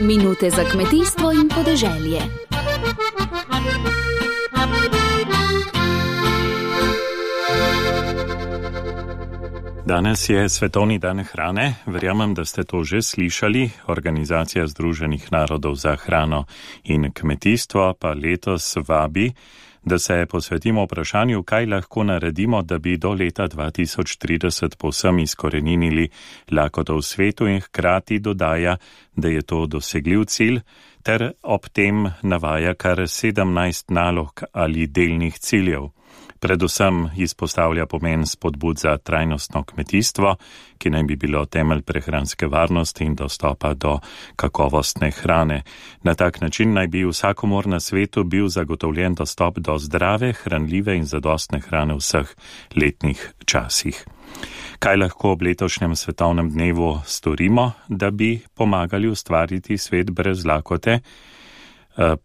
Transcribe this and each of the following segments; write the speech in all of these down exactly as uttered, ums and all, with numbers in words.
Minute za kmetijstvo in podeželje. Danes je Svetovni dan hrane. Verjamem, da ste to že slišali. Organizacija Združenih narodov za hrano in kmetijstvo pa letos vabi, da se posvetimo vprašanju, kaj lahko naredimo, da bi do leta dva tisoč trideset povsem izkoreninili lakoto v svetu, in hkrati dodaja, da je to dosegljiv cilj, ter ob tem navaja kar sedemnajst nalog ali delnih ciljev. Predvsem izpostavlja pomen spodbud za trajnostno kmetijstvo, ki naj bi bilo temelj prehranske varnosti in dostopa do kakovostne hrane. Na tak način naj bi vsakomur na svetu bil zagotovljen dostop do zdrave, hranljive in zadostne hrane v vseh letnih časih. Kaj lahko ob letošnjem svetovnem dnevu storimo, da bi pomagali ustvariti svet brez lakote?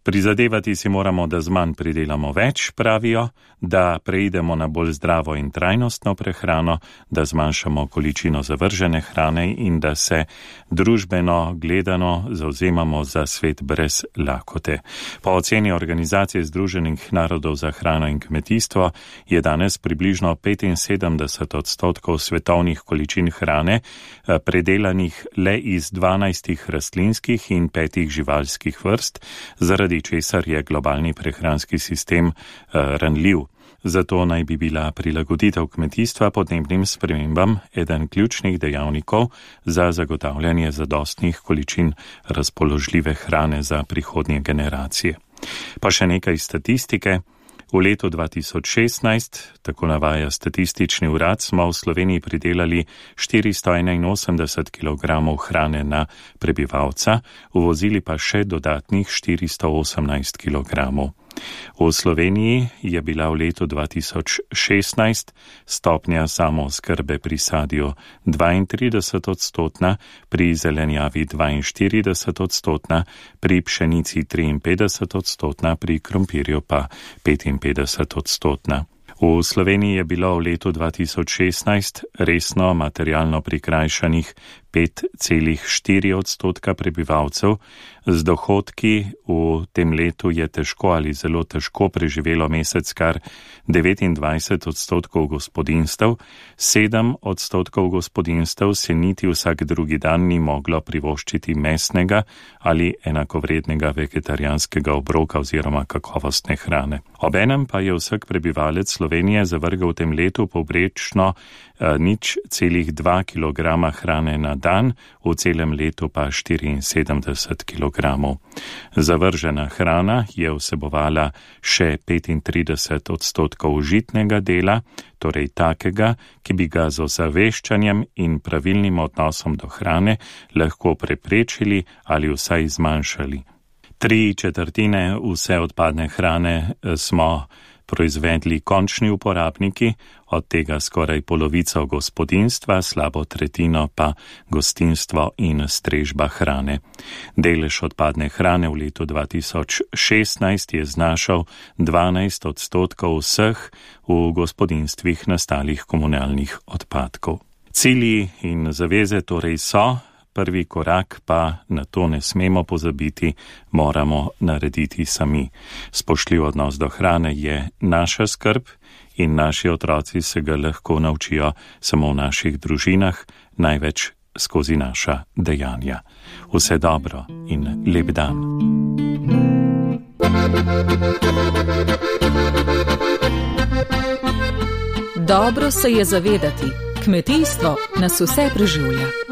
Prizadevati si moramo, da z manj pridelamo več, pravijo, da preidemo na bolj zdravo in trajnostno prehrano, da zmanjšamo količino zavržene hrane in da se družbeno gledano zavzemamo za svet brez lakote. Po oceni Organizacije Združenih narodov za hrano in kmetijstvo je danes približno petinsedemdeset odstotkov svetovnih količin hrane predelanih le iz dvanajstih rastlinskih in petih živalskih vrst, zaradi česar je globalni prehranski sistem uh, ranljiv. Zato naj bi bila prilagoditev kmetijstva podnebnim spremembam eden ključnih dejavnikov za zagotavljanje zadostnih količin razpoložljive hrane za prihodnje generacije. Pa še nekaj statistike. V letu dva tisoč šestnajst, tako navaja statistični urad, smo v Sloveniji pridelali štiristo enainosemdeset kilogramov hrane na prebivalca, uvozili pa še dodatnih štiristo osemnajst kilogramov. V Sloveniji je bila v letu dva tisoč šestnajst stopnja samooskrbe pri sadju dvaintrideset odstotna, pri zelenjavi dvainštirideset odstotna, pri pšenici triinpetdeset odstotna, pri krompirju pa petinpetdeset odstotna. V Sloveniji je bilo v letu dva tisoč šestnajst resno materialno prikrajšanih pet celih štiri odstotka prebivalcev. Z dohodki v tem letu je težko ali zelo težko preživelo mesec kar devetindvajset odstotkov gospodinjstev, sedem odstotkov gospodinjstev se niti vsak drugi dan ni moglo privoščiti mesnega ali enakovrednega vegetarijanskega obroka oziroma kakovostne hrane. Obenem pa je vsak prebivalec Slovenije zavrgel v tem letu povprečno eh, nič celih dva kilograma hrane na dan, v celem letu pa štiriinsedemdeset kilogramov. Zavržena hrana je vsebovala še petintrideset odstotkov žitnega dela, torej takega, ki bi ga z ozaveščanjem in pravilnim odnosom do hrane lahko preprečili ali vsaj zmanjšali. Tri četrtine vse odpadne hrane smo proizvedli končni uporabniki, od tega skoraj polovico gospodinjstva, slabo tretjino pa gostinstvo in strežba hrane. Delež odpadne hrane v letu dva tisoč šestnajst je znašal dvanajst odstotkov vseh v gospodinjstvih nastalih komunalnih odpadkov. Cilji in zaveze torej so, prvi korak pa, na to ne smemo pozabiti, moramo narediti sami. Spoštljiv odnos do hrane je naša skrb in naši otroci se ga lahko naučijo samo v naših družinah, največ skozi naša dejanja. Vse dobro in lep dan. Dobro se je zavedati, kmetijstvo nas vse preživlja.